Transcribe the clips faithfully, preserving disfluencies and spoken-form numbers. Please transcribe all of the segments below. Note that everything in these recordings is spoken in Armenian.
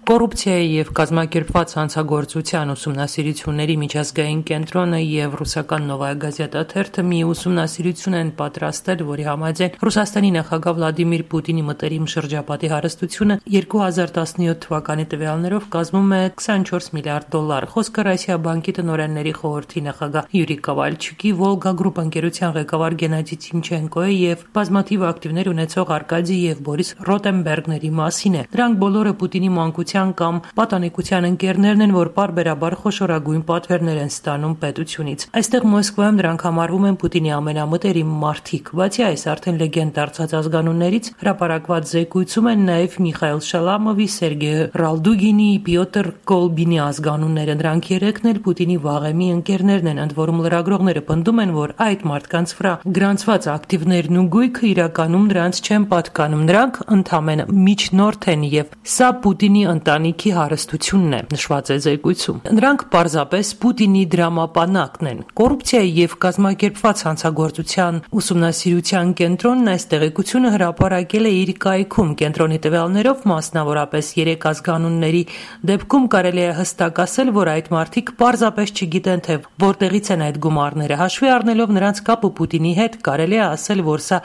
Կոռուպցիայի և կազմակերպված հանցագործության ուսումնասիրությունների միջազգային կենտրոնը և ռուսական «Նովայա Գազետա» թերթը մի ուսումնասիրություն են պատրաստել, որի համաձայն Ռուսաստանի նախագահ Վլադիմիր Պուտինի մտերիմ շրջապատի հարստությունը երկու հազար տասնյոթ թվականի տվյալներով կազմում է քսանչորս միլիարդ դոլար։ Խոսքը Ռոսիաբանկի տնօրենների խորհրդի նախագահ Յուրի Կովալչուկի, Վոլգա Գրուպ ընկերության ղեկավար Գենադի Տիմչենկոյի և բազմաթիվ ակտիվներ ունեցող Արկադի և Բորիս Ռոտենբերգների մասին է։ Դրանք բոլորը Պուտինի մանկության կամ պատանեկության ընկերներն են, որ պարբերաբար խոշորագույն պատվերներ են ստանում պետությունից։ Այստեղ Մոսկվայում դրանք համարվում են Պուտինի ամենամտերիմ մարդիկ։ Բացի այս, արդեն լեգենդ դարձած ազգանուններից հրապարակված զեկույցում են նաև Միխայիլ Շալամովի, Սերգեյ Ռալդուգինի, Պյոտր Կոլբինի ազգանունները։ Նրանք երեքն էլ Պուտինի վաղեմի ընկերներն են, ընդ որում լրագրողները պնդում են, որ այդ մարդկանց վրա գրանցված ակտիվներն ու գույքը իրականում նրանց չեն պատկանում։ Նրանք ընդամենը միջնորդ են եւ սա Պուտինի ընտանիքի հարստությունն է, նշված է զեկույցում։ Նրանք պարզապես Պուտինի դրամապանակն են։ Կոռուպցիայի և կազմակերպված հանցագործության ուսումնասիրության կենտրոնն այս տեղեկությունը հրապարակել է իր կայքում։ Կենտրոնի տվյալներով, մասնավորապես երեք ազգանունների դեպքում կարելի է հստակ ասել, որ այդ մարդիկ պարզապես չգիտեն, թե որտեղից են այդ գումարները։ Հաշվի առնելով նրանց կապը Պուտինի հետ, կարելի է ասել, որ սա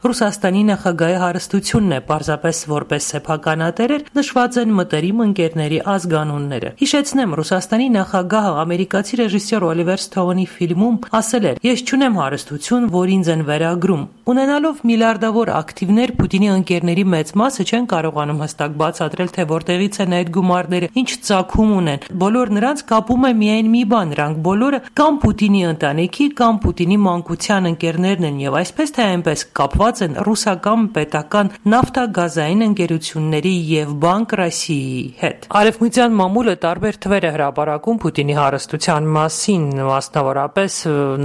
Ռուսաստանի նախագահի հարստությունն է, պարզապես որպես սեփականատերեր նշված են մտերիմ ընկերների ազգանունները։ Հիշեցնեմ, Ռուսաստանի նախագահը ամերիկացի ռեժիսոր Օլիվեր Սթոունի ֆիլմում ասել էր. «Ես չունեմ հարստություն, որ ինձ են վերագրում»։ Ունենալով միլիարդավոր ակտիվներ, Պուտինի ընկերների մեծ մասը չեն կարողանում հստակ բացատրել, թե որտեղից են այդ գումարները, ինչ ծագում ունեն։ Բոլոր նրանց կապում է միայն մի բան. նրանք բոլորը կամ Պուտինի ընտանիքի, կամ Պուտինի մանկության ընկերներն են եւ այսպես թե այնպես կապված են ռուսական պետական նավթագազային ընկերությունների եւ Բանկ Ռոսիայի հետ։ Արևմտյան մամուլը տարբեր թվեր է հրապարակում Պուտինի հարստության մասին, մասնավորապես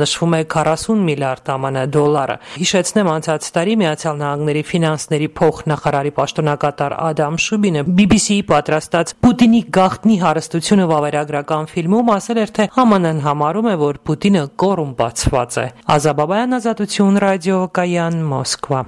նշվում է քառասուն միլիարդ ԱՄՆ դոլարը։ Հիշեցնեմ, անցած տարի Միացյալ Նահանգների ֆինանսների փոխնախարարի պաշտոնակատար Ադամ Շուբինը բի բի սի-ի պատրաստած Պուտինի գաղտնի հարստությունը վավերագրական ֆիլմում ասել էր, թե Հ Մ Ն-ն համարում է, որ Պուտինը կոռումպացված է։ Ազա Բաբայան, Ազատություն ռադիո, Կայան, Մոսկվա։